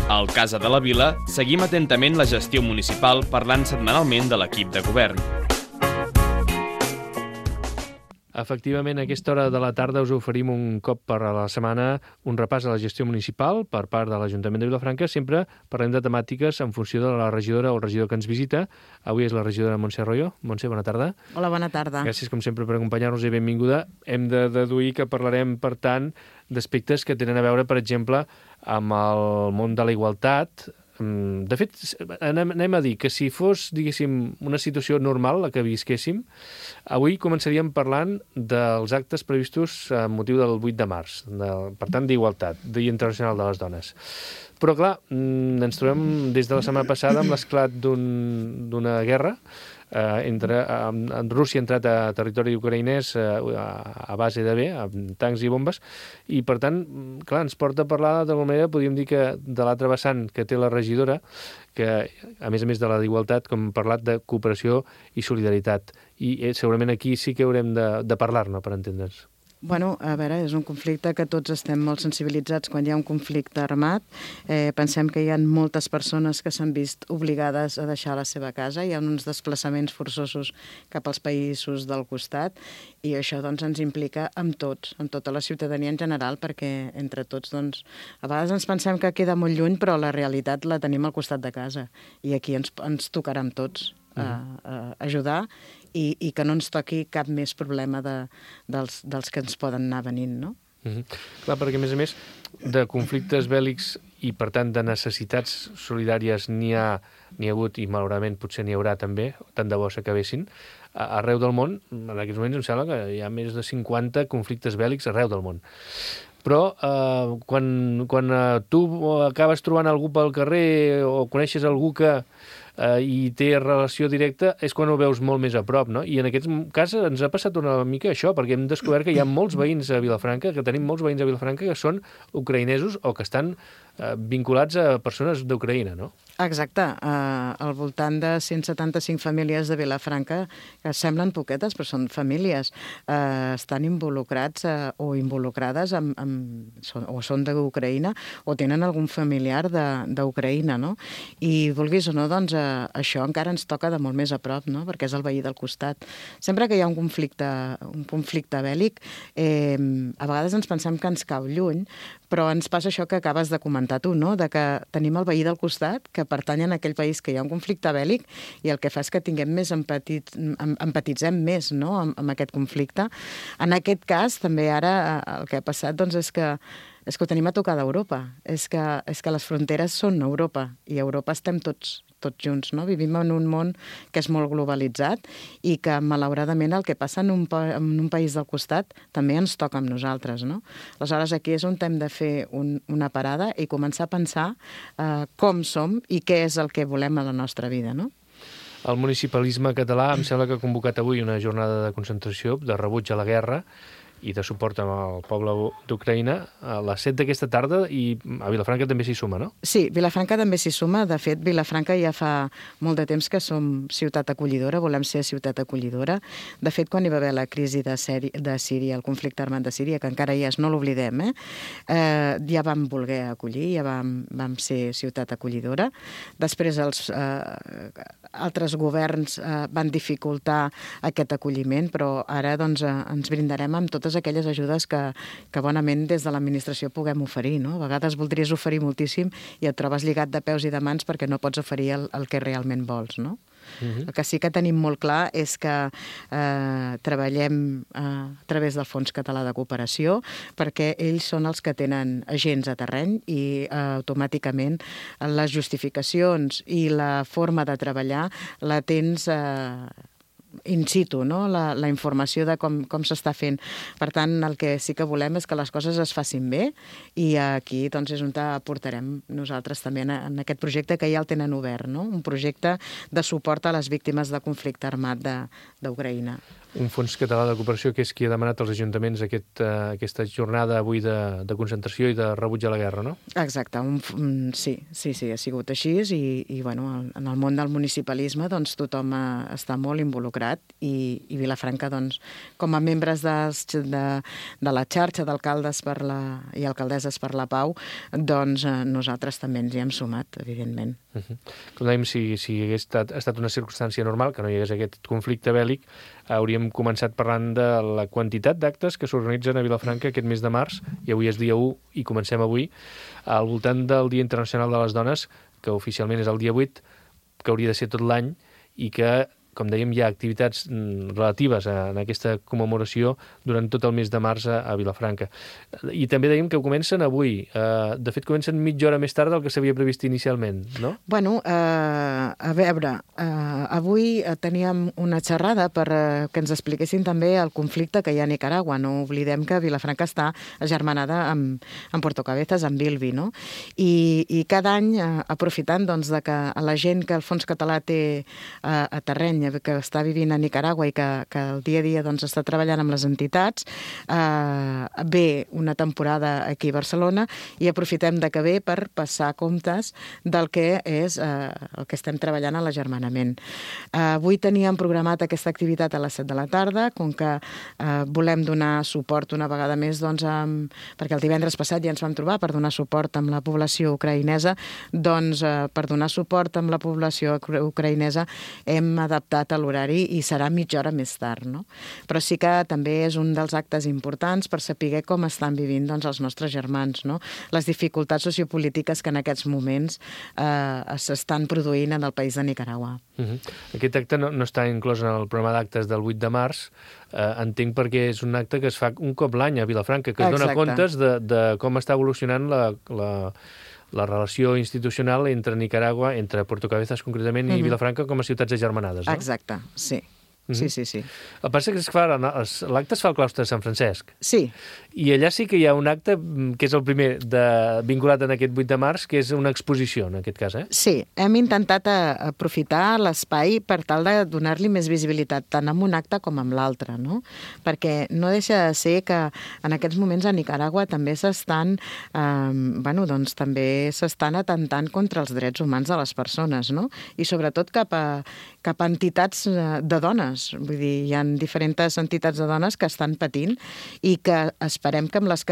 Al Casa de la Vila seguim atentament la gestió municipal parlant setmanalment de l'equip de govern. Efectivament, a aquesta hora de la tarda us oferim un cop per a la setmana un repàs a la gestió municipal per part de l'Ajuntament de Vilafranca. Sempre parlem de temàtiques en funció de la regidora o el regidor que ens visita. Avui és la regidora Montse Arroyo. Montse, bona tarda. Hola, bona tarda. Gràcies, com sempre, per acompanyar-nos i benvinguda. Hem de deduir que parlarem, per tant, d'aspectes que tenen a veure, per exemple, amb el món de la igualtat. De fet, anem a dir que si fos, diguéssim, una situació normal, la que visquéssim, avui començaríem parlant dels actes previstos a motiu del 8 de març, per tant, d'igualtat, Dia Internacional de les Dones. Però, clar, ens trobem des de la setmana passada amb l'esclat d'una guerra. Rússia ha entrat a territori ucraïnès a base de amb tancs i bombes, i per tant, clar, ens porta a parlar d'alguna manera, podríem dir que de l'altre vessant que té la regidora, que a més de la d'igualtat, com hem parlat de cooperació i solidaritat, i segurament aquí sí que haurem de parlar-ne per entendre'ns. Bueno, a veure, és un conflicte que tots estem molt sensibilitzats quan hi ha un conflicte armat. Pensem que hi ha moltes persones que s'han vist obligades a deixar la seva casa, hi ha uns desplaçaments forçosos cap als països del costat, i això doncs, ens implica amb tots, amb tota la ciutadania en general, perquè entre tots, doncs, a vegades ens pensem que queda molt lluny, però la realitat la tenim al costat de casa, i aquí ens tocarà amb tots ajudar, i que no ens toqui cap més problema dels que ens poden anar venint, no? Clar, perquè a més de conflictes bèl·lics i per tant de necessitats solidàries n'hi ha hagut, i malauradament potser n'hi haurà també, tant de bo s'acabessin, arreu del món. En aquests moments em sembla que hi ha més de 50 conflictes bèl·lics arreu del món. Però quan tu acabes trobant algú pel carrer o coneixes algú que i té relació directa, és quan ho veus molt més a prop, no? I en aquest cas ens ha passat una mica això, perquè hem descobert que hi ha molts veïns a Vilafranca, que tenim molts veïns a Vilafranca que són ucraïnesos o que estan vinculats a persones d'Ucraïna, no? Exacte. Al voltant de 175 famílies de Vilafranca, que semblen poquetes, però són famílies, estan involucrats o involucrades o són d'Ucraïna o tenen algun familiar d'Ucraïna, no? I vulguis o no, doncs això encara ens toca de molt més a prop, no? Perquè és el veí del costat. Sempre que hi ha un conflicte bèl·lic, a vegades ens pensem que ens cau lluny, però ens passa això que acabes de comentar tu, no? De que tenim el veí del costat, que pertany a aquell país que hi ha un conflicte bèl·lic, i el que fa és que tinguem més empatitzem més, no? amb aquest conflicte. En aquest cas, també ara el que ha passat doncs, és que ho tenim a tocar d'Europa. És que les fronteres són Europa, i a Europa estem tots junts, no? Vivim en un món que és molt globalitzat i que, malauradament, el que passa en un país del costat també ens toca amb nosaltres, no? Aleshores, aquí és on hem de fer una parada i començar a pensar com som i què és el que volem a la nostra vida, no? El municipalisme català em sembla que ha convocat avui una jornada de concentració, de rebuig a la guerra i de suport al poble d'Ucraïna a les 7 d'aquesta tarda, i a Vilafranca també s'hi suma, no? Sí, Vilafranca també s'hi suma. De fet, Vilafranca ja fa molt de temps que som ciutat acollidora, volem ser ciutat acollidora. De fet, quan hi va haver la crisi de Síria, el conflicte armat de Síria, que encara hi és, no l'oblidem, ja vam voler acollir, ja vam ser ciutat acollidora. Després els altres governs van dificultar aquest acolliment, però ara doncs, ens brindarem amb totes aquelles ajudes que bonament des de l'administració puguem oferir, no? A vegades voldries oferir moltíssim i et trobes lligat de peus i de mans perquè no pots oferir el que realment vols, no? El que sí que tenim molt clar és que treballem a través del Fons Català de Cooperació, perquè ells són els que tenen agents a terreny i automàticament les justificacions i la forma de treballar la tens in situ, no? La informació de com s'està fent. Per tant, el que sí que volem és que les coses es facin bé, i aquí doncs, és on aportarem nosaltres també en aquest projecte que ja el tenen obert, no? Un projecte de suport a les víctimes del conflicte armat d'Ucraïna. Un fons català de cooperació que és qui ha demanat als ajuntaments aquesta jornada avui de concentració i de rebuig a la guerra, no? Exacte, sí, ha sigut així i bueno, en el món del municipalisme doncs, tothom està molt involucrat i Vilafranca, doncs, com a membres de la xarxa d'alcaldes i alcaldesses per la pau, doncs nosaltres també ens hi hem sumat, evidentment. Com dèiem, si hagués estat una circumstància normal, que no hi hagués aquest conflicte bèl·lic, hauríem començat parlant de la quantitat d'actes que s'organitzen a Vilafranca aquest mes de març, i avui és dia 1 i comencem avui, al voltant del Dia Internacional de les Dones, que oficialment és el dia 8, que hauria de ser tot l'any, i que, com dèiem, hi ha activitats relatives en aquesta commemoració durant tot el mes de març a Vilafranca. I també dèiem que comencen avui. De fet, comencen mitja hora més tard del que s'havia previst inicialment, no? Bueno, a veure, avui teníem una xerrada per que ens expliquessin també el conflicte que hi ha a Nicaragua. No oblidem que Vilafranca està agermanada amb Puerto Cabezas, amb Bilbi, no? I cada any, aprofitant doncs, de que la gent que el Fons Català té a terreny, que està vivint a Nicaragua i que el dia a dia doncs, està treballant amb les entitats, ve una temporada aquí a Barcelona i aprofitem de que ve per passar comptes del que és el que estem treballant a l'agermanament. Avui teníem programat aquesta activitat a les 7 de la tarda, com que volem donar suport una vegada més, doncs, perquè el divendres passat ja ens vam trobar per donar suport amb la població ucraïnesa, doncs per donar suport amb la població ucraïnesa hem adaptat a l'horari i serà mitja hora més tard, no? Però sí que també és un dels actes importants per saber com estan vivint doncs, els nostres germans, no? Les dificultats sociopolítiques que en aquests moments s'estan produint en el país de Nicaragua. Aquest acte no està inclòs en el programa d'actes del 8 de març, entenc perquè és un acte que es fa un cop l'any a Vilafranca, que es dona comptes de com està evolucionant la relació institucional entre Nicaragua, entre Puerto Cabezas concretament, i Vilafranca com a ciutats agermanades, no? Exacte, sí. Sí. El que passa que l'acte es fa al claustre de Sant Francesc. Sí. I allà sí que hi ha un acte, que és el primer vinculat en aquest 8 de març, que és una exposició, en aquest cas, eh? Sí, hem intentat aprofitar l'espai per tal de donar-li més visibilitat, tant en un acte com en l'altre, no? Perquè no deixa de ser que en aquests moments a Nicaragua també s'estan atentant contra els drets humans de les persones, no? I sobretot cap a entitats de dones. Vull dir, hi ha diferents entitats de dones que estan patint i que esperem que amb les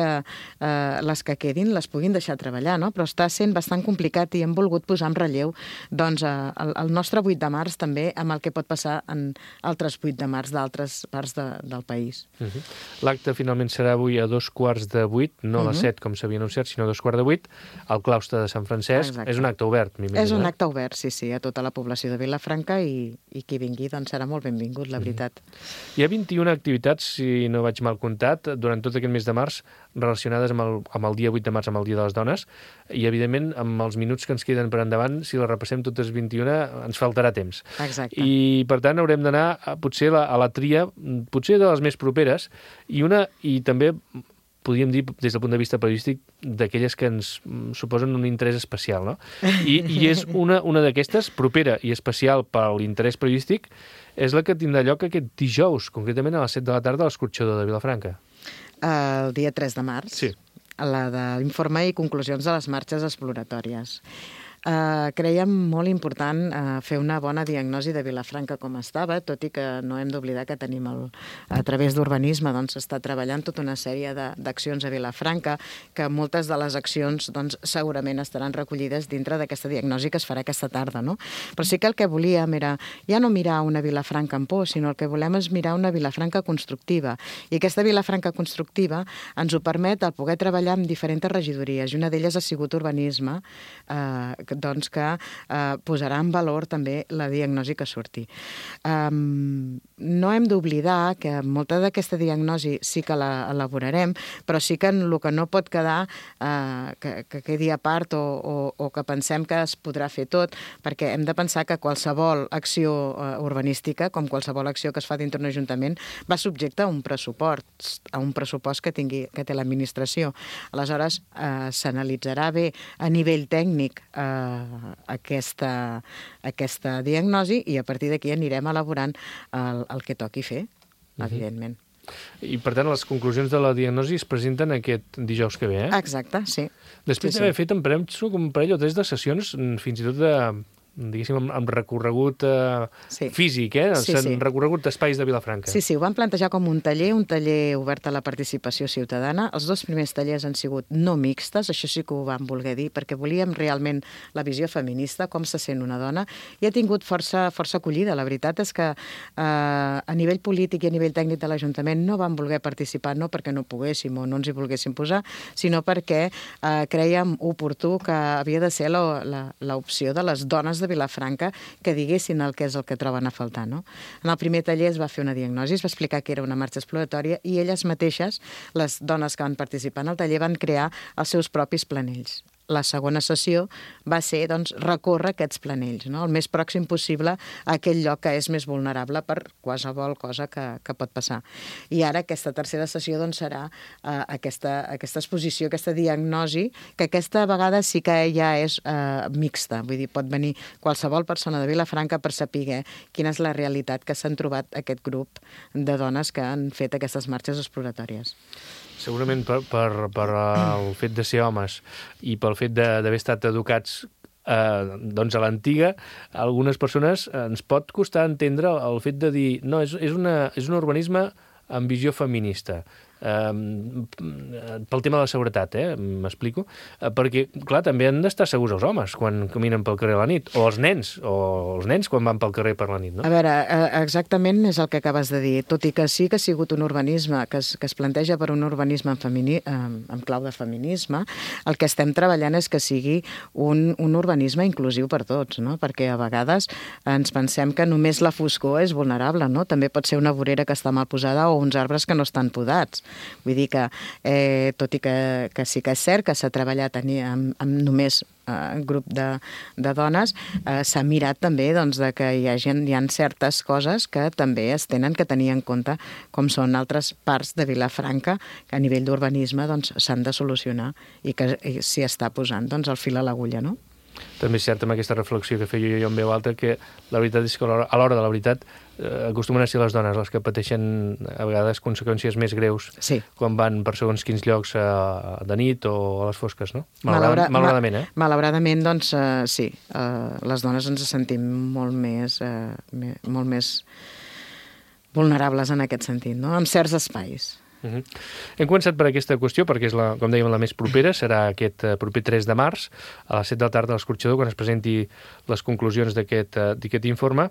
que quedin les puguin deixar treballar, no? Però està sent bastant complicat i hem volgut posar en relleu doncs, el nostre 8 de març també amb el que pot passar en altres 8 de març d'altres parts del país. L'acte finalment serà avui a 7:15, no a les 7 com s'havia anunciat, sinó a 7:15, al claustre de Sant Francesc. Exacte. És un acte obert, m'imagino. És un acte obert, sí, a tota la població de Vilafranca i qui vingui doncs serà molt benvingut, la veritat. Hi ha 21 activitats, si no vaig mal comptat, durant tot aquest mes de març relacionades amb el dia 8 de març, amb el Dia de les Dones, i evidentment amb els minuts que ens queden per endavant, si les repassem totes 21, ens faltarà temps. Exacte. I per tant haurem d'anar potser a la tria, potser de les més properes, i també podríem dir, des del punt de vista periodístic, d'aquelles que ens suposen un interès especial, no? I és una d'aquestes, propera i especial per l'interès periodístic, és la que tindrà lloc aquest dijous, concretament a les 7 de la tarda a l'Escorxador de Vilafranca. El dia 3 de març. Sí. La de l'informe i conclusions de les marxes exploratòries. Creiem molt important fer una bona diagnosi de Vilafranca com estava, tot i que no hem d'oblidar que tenim a través d'urbanisme doncs s'està treballant tota una sèrie d'accions a Vilafranca, que moltes de les accions doncs segurament estaran recollides dintre d'aquesta diagnosi que es farà aquesta tarda, no? Però sí que el que volíem era ja no mirar una Vilafranca en por, sinó el que volem és mirar una Vilafranca constructiva. I aquesta Vilafranca constructiva ens ho permet el poder treballar amb diferents regidories, i una d'elles ha sigut urbanisme, doncs que posarà en valor també la diagnosi que surti. No hem d'oblidar que molta d'aquesta diagnosi sí que l'elaborarem, però sí que el que no pot quedar que quedi a part o que pensem que es podrà fer tot, perquè hem de pensar que qualsevol acció urbanística, com qualsevol acció que es fa dintre d'un ajuntament, va subjecte a un pressupost que té l'administració. Aleshores, s'analitzarà bé a nivell tècnic aquesta diagnosi i a partir d'aquí anirem elaborant el que toqui fer. evidentment. I, per tant, les conclusions de la diagnosi es presenten aquest dijous que ve, Exacte, sí. Després d'haver fet, em penso, un parell o tres de sessions, fins i tot diguéssim, amb recorregut físic, recorregut d'espais de Vilafranca. Sí, ho van plantejar com un taller obert a la participació ciutadana. Els 2 primers tallers han sigut no mixtes, això sí que ho vam voler dir, perquè volíem realment la visió feminista, com se sent una dona, i ha tingut força acollida. La veritat és que a nivell polític i a nivell tècnic de l'Ajuntament no van voler participar, no perquè no poguéssim o no ens hi volguéssim posar, sinó perquè crèiem oportú que havia de ser l'opció de les dones de Vilafranca que diguessin el que és el que troben a faltar, no? En el primer taller es va fer una diagnosi, es va explicar que era una marxa exploratòria i elles mateixes, les dones que van participar en el taller, van crear els seus propis planells. La segona sessió va ser, doncs, recórrer aquests planells, no? El més pròxim possible a aquell lloc que és més vulnerable per qualsevol cosa que pot passar. I ara aquesta tercera sessió doncs, serà aquesta exposició, aquesta diagnosi, que aquesta vegada sí que ja és mixta. Vull dir, pot venir qualsevol persona de Vilafranca per saber quina és la realitat que s'han trobat aquest grup de dones que han fet aquestes marxes exploratòries. Segurament per el fet de ser homes i pel fet d'haver estat educats doncs a l'antiga, a algunes persones ens pot costar entendre el fet de dir no, és un urbanisme amb visió feminista. Pel tema de la seguretat, m'explico? Perquè, clar, també han d'estar segurs els homes quan caminen pel carrer a la nit, o els nens quan van pel carrer per la nit, no? A veure, exactament és el que acabes de dir. Tot i que sí que ha sigut un urbanisme que es planteja per un urbanisme amb clau de feminisme, el que estem treballant és que sigui un urbanisme inclusiu per tots, no? Perquè a vegades ens pensem que només la foscor és vulnerable, no? També pot ser una vorera que està mal posada o uns arbres que no estan podats. Vull dir que, tot i que sí que és cert que s'ha treballat amb només grup de dones, s'ha mirat també doncs, que hi ha certes coses que també es tenen que tenir en compte, com són altres parts de Vilafranca que a nivell d'urbanisme doncs, s'han de solucionar i que s'hi està posant doncs, el fil a l'agulla, no? També és cert amb aquesta reflexió que feia jo en veu alta que la veritat és que a l'hora de la veritat acostumen a ser les dones les que pateixen a vegades conseqüències més greus quan van per segons quins llocs de nit o a les fosques, no? Malauradament, Malauradament, doncs, sí. Les dones ens sentim molt més vulnerables en aquest sentit, no? En certs espais. Hem començat per aquesta qüestió perquè és, com dèiem, la més propera. Serà aquest proper 3 de març a les 7 de la tarda a l'Escorxador quan es presenti les conclusions d'aquest informe.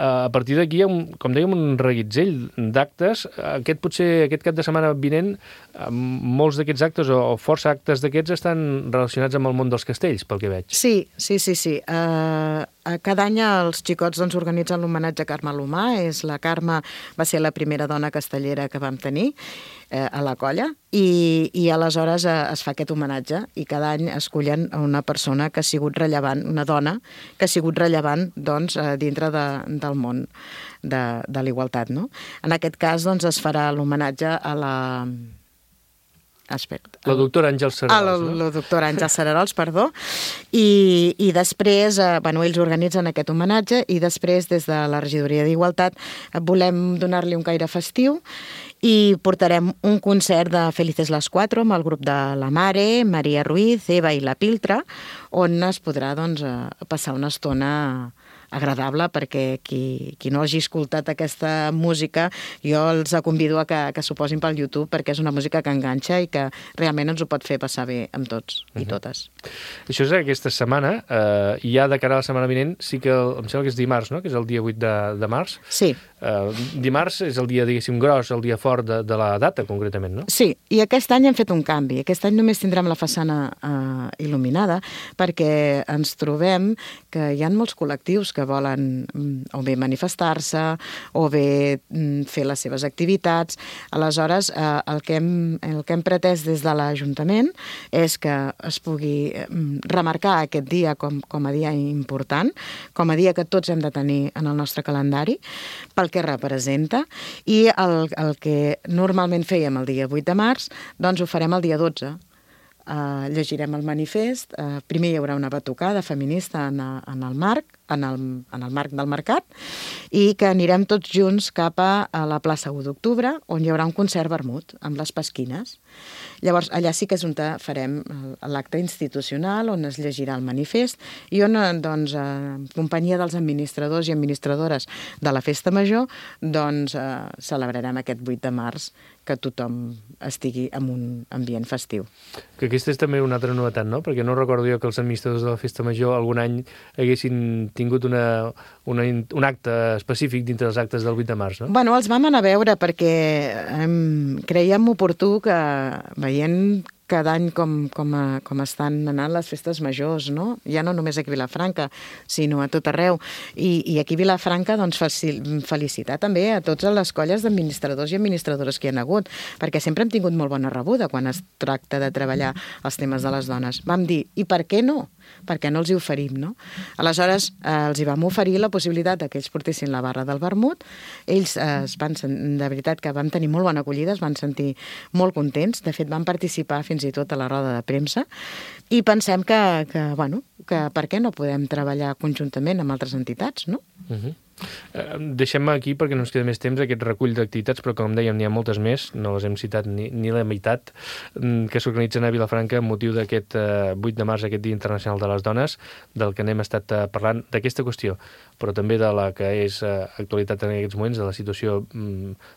A partir d'aquí hi ha, com dèiem, un reguitzell d'actes. Aquest cap de setmana vinent, molts d'aquests actes o força actes d'aquests estan relacionats amb el món dels castells, pel que veig. Sí. Cada any els xicots doncs, organitzen l'homenatge a Carme Alomar. La Carme va ser la primera dona castellera que vam tenir a la colla i aleshores es fa aquest homenatge i cada any escullen una persona que ha sigut rellevant, una dona que ha sigut rellevant doncs, dintre del món de l'igualtat. No? En aquest cas doncs, es farà l'homenatge a la doctora Àngels Cerarols, no? La doctora Àngels Cerarols, perdó. I després, ells organitzen aquest homenatge i després, des de la Regidoria d'Igualtat, volem donar-li un caire festiu i portarem un concert de Felices las Cuatro amb el grup de la Mare, Maria Ruiz, Eva i la Piltra, on es podrà doncs, passar una estona agradable perquè qui no hagi escoltat aquesta música jo els convido a que s'ho posin pel YouTube perquè és una música que enganxa i que realment ens ho pot fer passar bé amb tots i totes. Això és aquesta setmana i ja de cara a la setmana vinent sí que em sembla que és dimarts, no? Que és el dia 8 de març. Sí. Dimarts és el dia, diguéssim, gros, el dia fort de la data, concretament, no? Sí, i aquest any hem fet un canvi. Aquest any només tindrem la façana il·luminada perquè ens trobem que hi ha molts col·lectius que volen o bé manifestar-se o bé fer les seves activitats. Aleshores, el que hem pretès des de l'Ajuntament és que es pugui remarcar aquest dia com a dia important, com a dia que tots hem de tenir en el nostre calendari, pel que representa, i el que normalment fèiem el dia 8 de març, doncs ho farem el dia 12. Llegirem el manifest, primer hi haurà una batucada feminista en el marc, en el marc del mercat i que anirem tots junts cap a la plaça 1 d'octubre, on hi haurà un concert vermut amb les pasquines. Llavors, allà sí que és on farem l'acte institucional, on es llegirà el manifest i on, doncs, en companyia dels administradors i administradores de la Festa Major, doncs, celebrarem aquest 8 de març que tothom estigui en un ambient festiu. Que aquesta és també una altra novetat, no? Perquè no recordo jo que els administradors de la Festa Major algun any haguessin tingut un acte específic dintre dels actes del 8 de març, no? Bueno, els vam anar a veure perquè creiem oportú que, veient cada any com estan anant les festes majors, no? Ja no només aquí a Vilafranca, sinó a tot arreu. I aquí a Vilafranca, doncs, felicitar també a totes les colles d'administradors i administradores que hi ha hagut, perquè sempre hem tingut molt bona rebuda quan es tracta de treballar els temes de les dones. Vam dir, i per què no? Per què no els hi oferim, no? Aleshores, els hi vam oferir la possibilitat que ells portessin la barra del vermut. Ells de veritat que vam tenir molt bona acollida, es van sentir molt contents. De fet, van participar fins i tot a la roda de premsa i pensem que per què no podem treballar conjuntament amb altres entitats, no? Deixem aquí, perquè no ens queda més temps, aquest recull d'activitats, però com dèiem, n'hi ha moltes més, no les hem citat ni la meitat, que s'organitzen a Vilafranca amb motiu d'aquest 8 de març, aquest Dia Internacional de les Dones, del que n'hem estat parlant, d'aquesta qüestió, però també de la que és actualitat en aquests moments, de la situació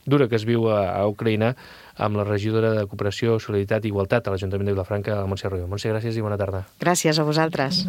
dura que es viu a Ucraïna, amb la regidora de Cooperació, Solidaritat i Igualtat a l'Ajuntament de Vilafranca, la Montse Arroyo. Montse, gràcies i bona tarda. Gràcies a vosaltres.